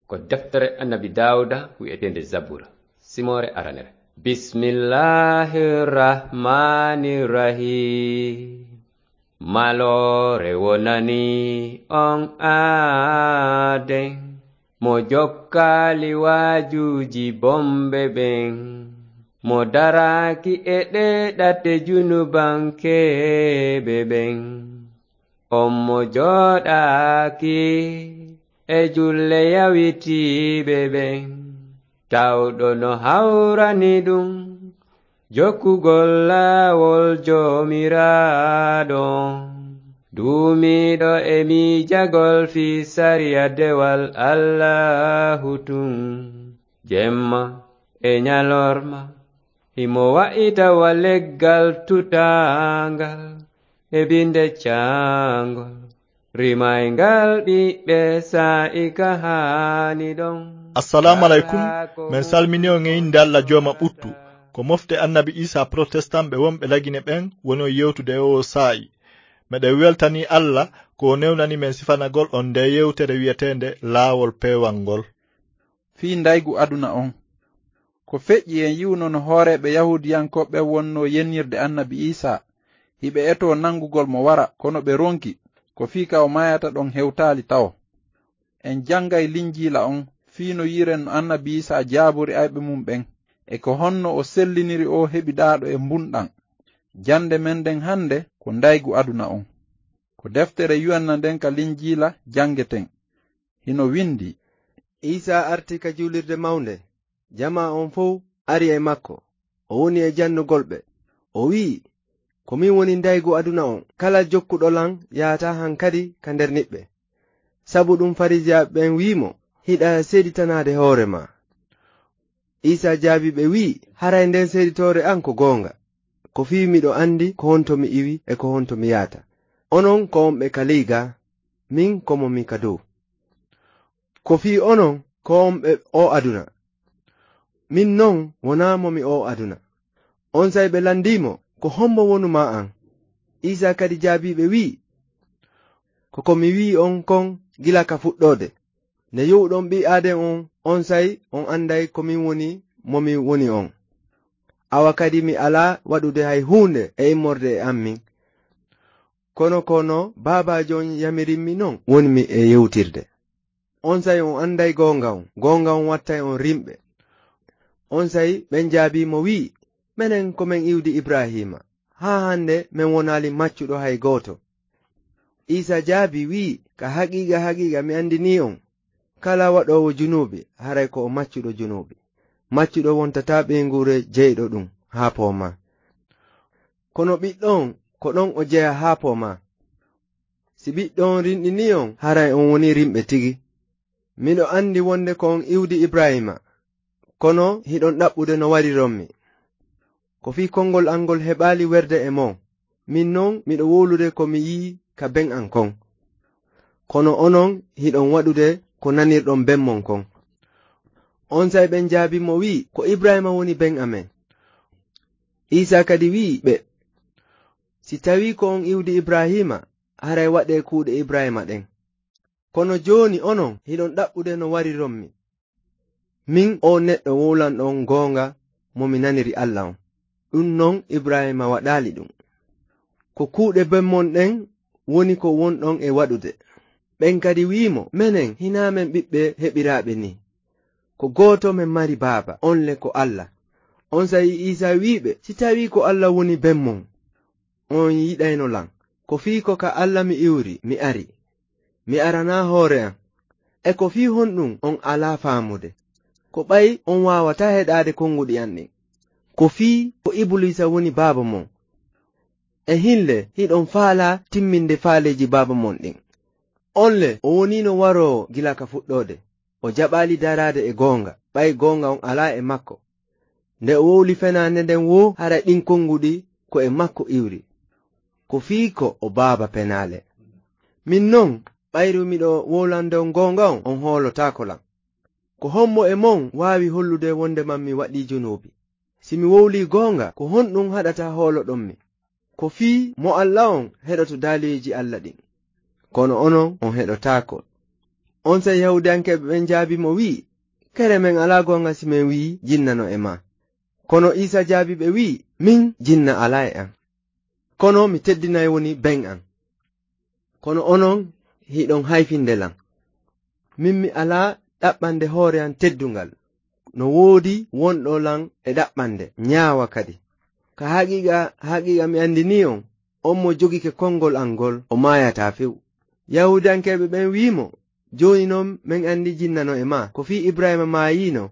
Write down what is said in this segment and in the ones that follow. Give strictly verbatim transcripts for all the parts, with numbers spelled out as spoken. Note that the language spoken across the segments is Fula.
Ko deftere Annabi Daawuda wi'eteende Zabura, simoore aranere. Bismillahir Rahmanir Rahim. Maloore wonani on aaden, mo jokkaali waajuuji bomɓe ɓen, mo daraaki e ɗee ɗate junubankeeɓe ɓen. On mo jooɗaaki e julle yawitiiɓe ɓen, tawɗo no hawrani ɗum jokkugol laawol Joomiraaɗo on, duumiiɗo e miijagol fii sariya dewal Allaahu tun, jemma e ɲalorma, himo wa'ita wa leggal tutaangal e binde caangol, rimayngal ɓiɓɓe saa'i ka haani ɗon. Assalaamu aleykum. Men salmini on e innde Alla Jooma ɓuttu. Ko mofte Annabi Iisaa Protestan ɓe wonɓe Lagine ɓen woni on yewtude e oo saa'i. Meɗen weltanii Alla ko o newnani men sifanagol on ndee yewtere wi'eteende Laawol Peewal ngol. Fii ndaygu aduna on. Ko feƴƴi en yi'uno no hooreeɓe Yahuudiyankooɓe ɓen wonnoo yennirde Annabi Iisaa, hiɓe etoo nangugol mo wara, kono ɓe ronki, ko fii ka o maayata ɗon hewtaali tawo. En janngay Linjiila on, fii no yi'ren no Annabi Iisaa jaabori ayɓe mun ɓen, e ko honno o selliniri oo heɓidaaɗo e mbunɗan. Jannde men nden hannde ko ndaygu aduna on. Ko deftere Yuhanna nden ka Linjiila janngeten. Hino windii. Iisaa arti ka juulirde mawnde. Jamaa on fow ari e makko. O woni e jannugol ɓe. O wi'i, "Ko min woni ndaygu aduna on. Kala jokkuɗo lan yahataa hankadi ka nder niɓɓe." Sabu ɗum Fariisiyaaɓe ɓen wi'i mo, "Hiɗa seeditanaade hoore maa." Iisaa jaabii ɓe wi'i, "Haray nden seeditoore an ko goonga. Ko fii miɗo anndi ko honto mi iwi e ko honto mi yahata. Onon ko on ɓe ka ley gaa, min ko mo mi ka dow. Ko fii onon ko on ɓe oo aduna. Min non wonaa mo mi oo aduna." Onsay ɓe landii mo, "Ko hombo wonu maa an?" Iisaa kadi jaabii ɓe wi'i, "Ko ko mi wi'i on kon gila ka fuɗɗoode. Nde yo'uɗon ɓii aaden on, onsay on anday ko min woni mo mi woni on. Awa kadi mi alaa waɗude hay huunde e immorde e an min. Kono ko no Baabaajo on yamirimmi non woni mi e yewtirde. Onsay on anday goonga on, goonga on wattay on rimɓe." Onsay ɓen jaabii mo wi'i, "Menen ko men iwdi Ibraahiima, haa hande men wonaali maccuɗo hay gooto." Iisaa jaabii wi'i, "Ka haqiiqa, haqiiqa mi andinii on, kala waɗoowo junuubi, haray ko o maccuɗo junuubi. Maccuɗo wontataa ɓeynguure jeyɗo ɗum haa poomaa. Kono ɓiɗɗo on, ko ɗon o jeyaa haa poomaa. Si ɓiɗɗo on rinɗinii on, haray on wonii rimɓe tigi. Miɗo andi wonde ko on iwdi Ibraahiima, kono hiɗon ɗaɓɓude no warironmi. Ko fii konngol an ngol heɓaali werde e mon. Min non, miɗo wowlude ko mi yi'i ka ben an kon. Kono onon, hiɗon waɗude ko nanirɗon ben mon kon." Onsay ɓen jaabii mo wi'i, "Ko Ibraahiima woni ben amen." Iisaa kadi wi'i ɓe, "Si tawii ko on iwdi Ibraahiima, haray waɗee kuuɗe Ibraahiima ɗen. Kono jooni onon, hiɗon ɗaɓɓude no warironmi. Min oo neɗɗo wowlanɗo on goonga mo mi naniri Alla on. Ɗum non Ibraahiima waɗaali ɗum. Ko kuuɗe ben mon ɗen woni ko wonɗon e waɗude." Ɓen kadi wi'i mo, "Menen hinaa men ɓiɓɓe heɓiraaɓe nii. Ko gooto men mari baaba, on le ko Alla." Onsay Iisaa wi'i ɓe, "Si tawii ko Alla woni ben mon, on yiɗayno lan. Ko fii ko ka Alla mi iwri, mi ari. Mi aranaa hoore an. E ko fii honɗum on alaa faamude? Ko ɓay on waawataa heɗaade konguɗi an ɗin. Ko fii ko Ibuliisa woni baaba mon. E hin le hiɗon faalaa timminde faaleeji baaba mon ɗin. On le o woniino waroowo gila ka fuɗɗoode. O jaɓaali daraade e goonga, ɓay goonga on alaa e makko. Nde o wowli fenaande nden woo, hara ɗin konguɗi ko e makko iwri. Ko fii ko o baaba penaale. Min non, ɓayru miɗo wowlande on goonga on, on hoolotaako lan. Ko hommo e mon waawi hollude wonde man mi waɗii junuubi? Si mi wowlii goonga, ko honɗum haɗata hooloɗon mi? Ko fii mo Alla on heɗoto daaliiji Alla ɗin, kono onon on heɗotaako. Onsay Yahuudiyankeeɓe ɓen jaabii mo, wi'i, "Kere, men alaa goonga si men wi'i jinna no e maa." Kono Iisaa jaabii ɓe, wi'i, "Min, jinna alaa e an. Kono mi teddinay woni ben an. Kono onon, hiɗon hayfinde lan. Min, mi alaa ɗaɓɓande hoore an teddungal. No woodi wonɗo lan e ɗaɓɓande, ñaawa kadi. Ka haqiiqa, haqiiqa mi andinii on, on mo jogike konngol an ngol, o maayataa few." Yahuudiyankeeɓe ɓen wi'i mo, "Jooni non men andi jinna no e maa. Ko fii Ibrahiima maayiino,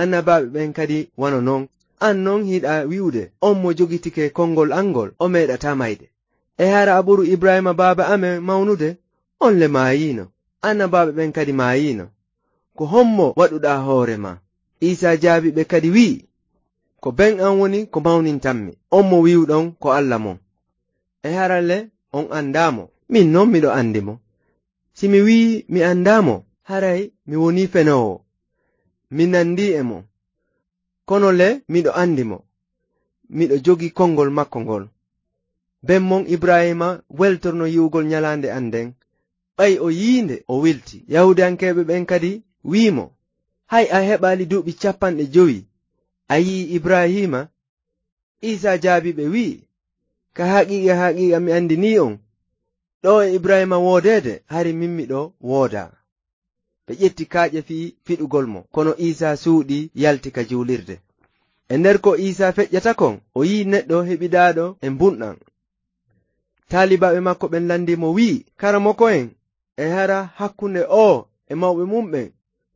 annabaaɓe ɓen kadi wano non. An non hiɗa wi'ude, 'On mo jogitike konngol an ngol, o meeɗataa mayde.' E hara a ɓuru Ibrahiima baaba amen mawnude? On le maayiino, annabaaɓe ɓen kadi maayiino. Ko hommo waɗuɗaa hoore maa?" Iisaa jaabii ɓe kadi, wi'i, "Ko ben an woni ko mawnintammi, on mo wi'uɗon ko Alla mon. E hara le on andaa mo? Min non miɗo andi mo. Si mi wi'ii mi andaa mo, haray mi wonii fenoowo. Mi nandii e mo. Kono le miɗo andi mo. Miɗo jogii konngol makko ngol. Ben mon Ibrahiima weltorno yi'ugol ñalaande an nden. Ɓay o yi'ii nde, o weltii." Yahuudiyankeeɓe ɓen kadi wi'i mo, "Hay a heɓaali duuɓi capanɗe jowi, a yi'ii Ibrahiima?" Iisaa jaabii ɓe, wi'i, "Ka haqiiqa, haqiiqa mi andinii on, ɗoo e Ibrahiima woodeede, hari min miɗo woodaa." Ɓe ƴetti kaaƴe fii fiɗugol mo, kono Iisaa suuɗii, yalti ka juulirde. E nder ko Iisaa feƴƴata kon, o yi'i neɗɗo heɓidaaɗo e mbunɗan. Taalibaaɓe makko ɓen landii mo, wi'i, "Karamoko en, e hara hakkunde oo e mawɓe mun ɓen,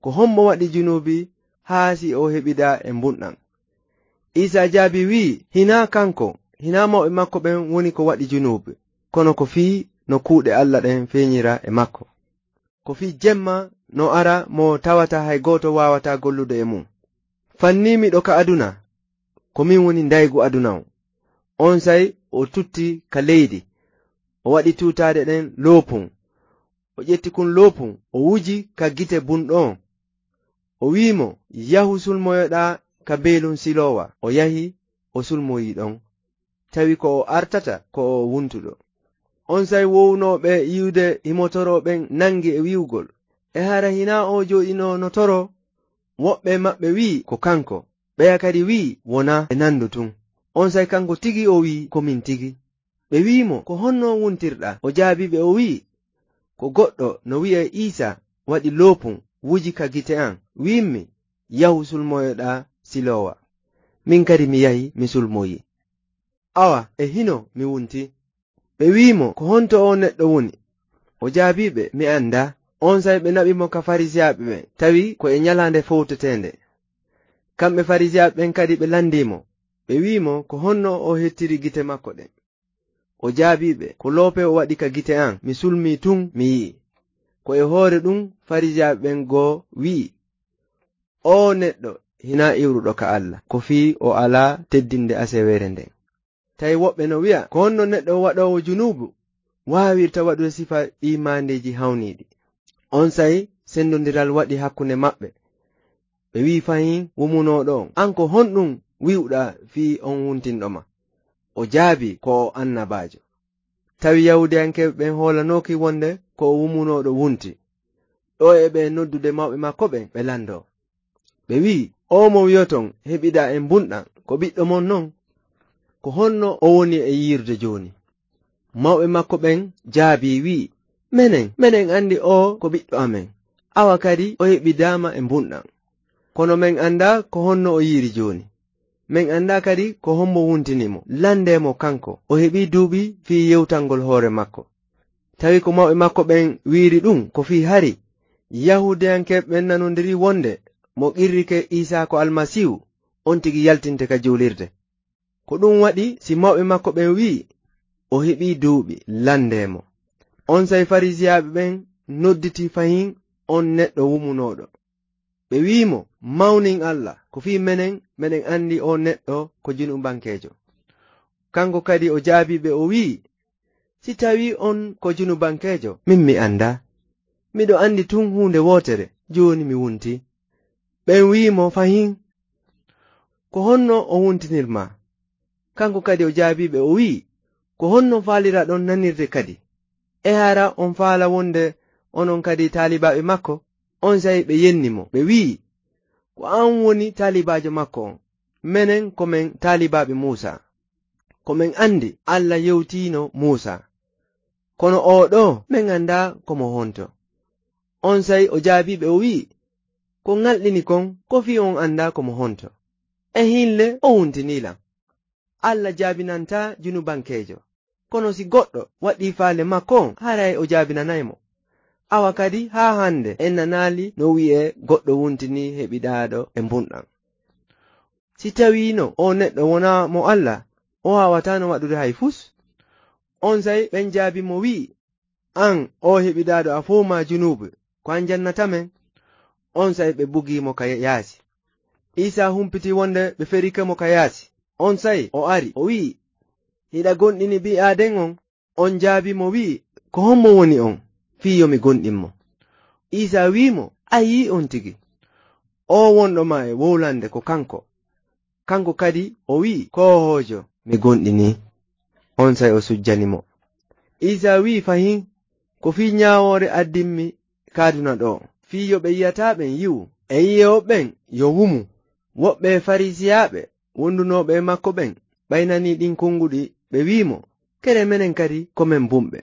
ko hommo waɗi junuubi haa si o heɓidaa e mbunɗan?" Iisaa jaabii, wi'i, "Hinaa kanko, hinaa mawɓe makko ɓen woni ko waɗi junuubi, kono ko fii no kuuɗe Alla ɗen feeñira e makko. Ko fii jemma no ara mo tawata hay gooto waawataa gollude e mun. Fannii miɗo ka aduna, ko min woni ndaygu aduna on." Onsay o tutti ka leydi, o waɗi tuutaade ɗen loopun. O ƴetti kun loopun, o wuji ka gite bunɗo on. O wi'i mo, "Yahu sulmoyoɗaa ka beelun Siloowa." O yahi, o sulmoyii ɗon. Tawi ko o artata ko o wuntuɗo. Onsay wowunooɓe yi'ude himo toroo ɓen nangi e wi'ugol, "E hara hinaa oo jooɗinoo no toroo?" Woɓɓe maɓɓe wi'i, "Ko kanko." Ɓeya kadi wi'i, "Wonaa, e nanndo tun." Onsay kanko tigi o wi'i, "Ko min tigi." Ɓe wi'i mo, "Ko honno wuntirɗaa?" O jaabii ɓe, o wi'i, "Ko goɗɗo no wi'ee Iisaa waɗi loopun, wuji ka gite an, wi'immi, 'Yahu sulmoyoɗaa Siloowa.' Min kadi mi yahi, mi sulmoyii. Awa, e hino mi wuntii." Ɓe wi'i mo, "Ko honto oo neɗɗo woni?" O jaabii ɓe, "Mi andaa." Onsay ɓe naɓi mo ka Farisiyaaɓe ɓen, tawi ko e ñalaande fowteteende. Kamɓe Farisiyaaɓe ɓen kadi ɓe landii mo. Ɓe wi'i mo, "Ko honno o hettiri gite makko ɗen?" O jaabii ɓe, "Ko loope o waɗi ka gite an, mi sulmii tun, mi yi'i." Ko e hoore ɗun Farisiyaaɓe ɓen goo wi'i, "Oo neɗɗo hinaa iwruɗo ka Alla, ko fii o alaa teddinde aseweere nden." Tawi woɓɓe no wi'a, "Ko honno neɗɗo waɗoowo junuubu waawirta waɗude sifa ɗii maandeeji hawniiɗi?" Onsay sendondiral waɗi hakkunde maɓɓe. Ɓe wi'i fahin wumunooɗo on, "An ko honɗun wi'uɗaa fii on wuntinɗo ma?" O jaabii, "Ko o annabaajo." Tawi Yahuudiyankeeɓe ɓen hoolanooki wonde ko o wumunooɗo wunti. Ɗoo e ɓe noddude mawɓe makko ɓen, ɓe landoo. Ɓe wi'i, "Oo mo wi'oton heɓiɗaa e mbunɗan, ko ɓiɗɗo mon non? Ko honno o woni e yiirude jooni?" Mawɓe makko ɓen jaabii, wi'i, "Menen, menen andi oo ko ɓiɗɗo amen. Awa kadi o heɓidaama e mbunɗan. Kono men andaa ko honno o yiiri jooni. Men andaa kadi ko hombo wuntini mo. Landee mo kanko. O heɓii duuɓi fii yewtangol hoore makko." Tawi ko mawɓe makko ɓen wi'iri ɗun, ko fii hari Yahuudiyankeeɓe ɓen nanondirii wonde mo qirrike Iisaa ko Almasiihu, on tigi yaltinte ka juulirde. Ko ɗun waɗi si mawɓe makko ɓen wi'i, "O heɓii duuɓi, landee mo." Onsay Farisiyaaɓe ɓen nodditi fahin on neɗɗo wumunooɗo. Ɓe wi'i mo, "Mawnin Alla, ko fii menen, menen andi oo neɗɗo ko junubankeejo." Kanko kadi o jaabii ɓe, o wi'i, "Si tawii on ko junubankeejo, min mi andaa. Miɗo andi tun huunde wootere, jooni mi wuntii." Ɓen wi'i mo fahin, "Ko honno o wuntinir maa?" Kanko kadi o jaabii ɓe, o wi'i, "Ko honno faaliraɗon nanirde kadi? E hara on faala wonde onon kadi taalibaaɓe makko?" Onsay ɓe yenni mo, ɓe wi'i, "Ko an woni taalibaajo makko on. Menen ko men taalibaaɓe Muusa. Ko men andi Alla yewtiino Muusa. Kono oo ɗoo, men andaa ko mo honto." Onsay o jaabii ɓe, o wi'i, "Ko ŋalɗini kon, ko fii on andaa ko mo honto. E hin le o wuntinii lan. Alla jaabinantaa junubankeejo. Kono si goɗɗo waɗii faale makko on, haray o jaabinanay mo. Awa kadi haa hande en nanaali no wi'ee goɗɗo wuntinii heɓidaaɗo e mbunɗan. Si tawiino oo neɗɗo wonaa mo Alla, o waawataano waɗude hay fus." Onsay ɓen jaabii mo wi'i, "An oo heɓidaaɗo, a fow maa junuubu, ko an jannata men?" Onsay ɓe bugii mo ka yaasi. Iisaa humpitii wonde ɓe ferike mo ka yaasi. Onsay o ari, o wi'i, "Hiɗa gomɗini Ɓii Aaden on?" On jaabii mo wi'i, "Ko hommo woni on, fii yo mi gomɗin mo?" Iisaa wi'i mo, "A yi'i on tigi. Oo wonɗo maa e wowlande ko kanko. Kanko kadi o wi'i, 'Koohoojo, mi gomɗinii.'" Onsay o sujjani mo. Iisaa wi'i fahin, "Ko fii ɲaawoore addimmi ka aduna ɗoo, fii yo ɓe yi'ataa ɓen yi'u, e yi'ooɓe ɓen yo wumu." Woɓɓe Fariisiyaaɓe wondunooɓe e makko ɓen ɓaynanii ɗin konguɗi, ɓe wi'i mo, "Kere menen kadi ko men bumɓe."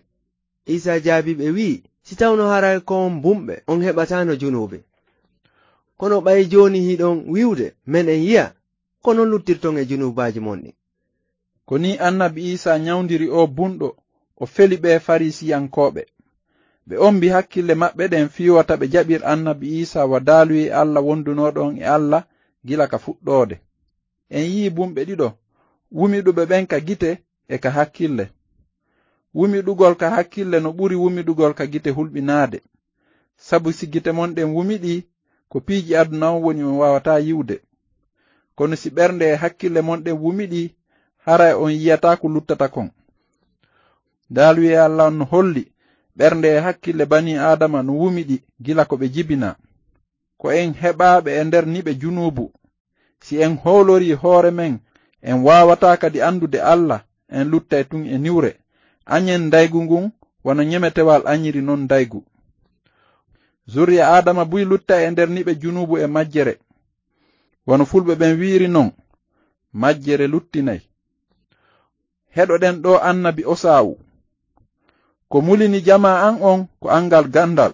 Iisaa jaabii ɓe wi'i, "Si tawno haray ko on bumɓe, on heɓataano junuubi. Kono ɓay jooni hiɗon wi'ude, 'Meɗen yi'a,' ko non luttirton e junuubaaji mon ɗin." Ko nii annabi Iisaa ɲawndiri oo bunɗo, o feli ɓee Fariisiyankooɓe. Ɓe ombi hakkille maɓɓe ɗen fii wota ɓe jaɓir annabi Iisaa wa daaluyee Alla wondunooɗo on e Alla gila ka fuɗɗoode. En yi'i bumɓe ɗiɗo, wumiɗuɓe ɓen ka gite e ka hakkille. Wumiɗugol ka hakkille no ɓuri wumiɗugol ka gite hulɓinaade. Sabu si gite mon ɗen wumiɗii, ko piiji aduna on woni on waawataa yi'ude. Kono si ɓernde e hakkille mon ɗen wumiɗii, haray on yi'ataa ko luttata kon. Daaluyee Alla on no holli ɓernde e hakkille banii Aadama no wumiɗi gila ko ɓe jibinaa. Ko en heɓaaɓe e nder niɓe junuubu. Si en hoolorii hoore men, en waawataa kadi andude Alla, en luttay tun e niwre. Aɲen ndaygu ngun wano ɲemetewal aɲiri non ndaygu. Zurriya Aadama buy luttay e nder niɓe junuubu e majjere. Wano fulɓe ɓen wi'iri non, "Majjere luttinay." Heɗoɗen ɗoo annabi Osaawu. Ko mulini jamaa an on ko angal gandal.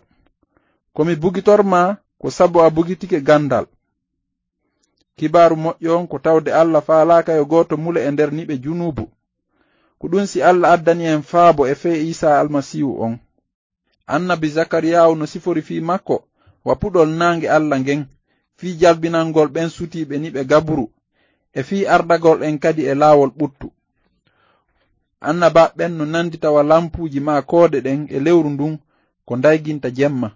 Ko mi bugitor maa ko sabu a bugitike gandal. Kibaaru moƴƴo on ko tawde Alla faalaaka yo gooto mule e nder niɓe junuubu. Ko ɗun si Alla addani en faabo e fee Iisaa Almasiihu on. Annabi Zakariyaahu no sifori fii makko wa puɗol naange Alla ngen, fii jalbinangol ɓen sutiiɓe niɓe gaburu, e fii ardagol en kadi e laawol ɓuttu. Annabaaɓe ɓen no nandita wa lampuuji maa koode ɗen e lewru ndun ko ndayginta jemma.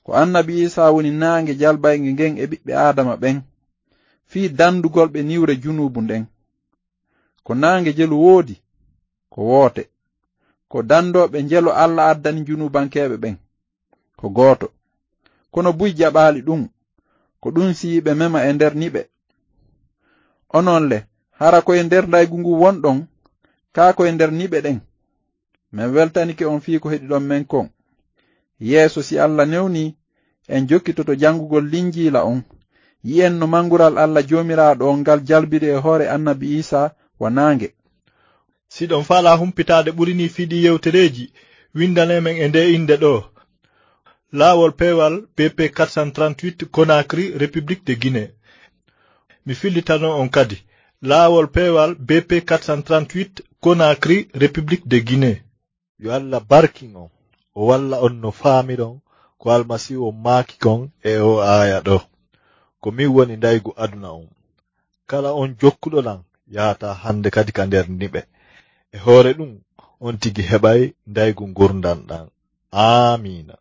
Ko annabi Iisaa woni naange jalbaynge ngen e ɓiɓɓe Aadama ɓen, fii dandugol ɓe niwre junuubu nden. Ko naange jelu woodi, ko woote. Ko dandooɓe njelo Alla addani junuubankeeɓe ɓen, ko gooto. Kono buy jaɓaali ɗun, ko ɗun siyi ɓe mema e nder niɓe. Onon le, hara ko e nder ndaygu ngu wonɗon, kaa ko e nder niɓe ɗen? Men weltanike on fii ko heɗiɗon men kon. Yeeso, si Alla newnii, en jokkitoto janngugol Linjiila on. Yi'en no mangural Alla Joomiraaɗo on ngal jalbiri e hoore annabi Iisaa wa naange. Si ɗon faalaa humpitaade ɓuri nii fii ɗii yewtereeji, windanee men e ndee innde ɗoo. Laawol peewal B P quatre cent trente-huit, Conakry, République de Guinée. Mi fillitano on kadi. Laawol peewal B P quatre cent trente-huit, Conakry, République de Guinée. Yo Alla barkin on, o walla on no faamiron ko Almasiihu on maaki kon e oo aaya ɗoo. Ko min woni ndaygu aduna on. Kala on jokkuɗo lan yahataa hande kadi ka nder niɓe. E hoore ɗun, on tigi heɓay ndaygu ngurndan ɗan. Aamiina.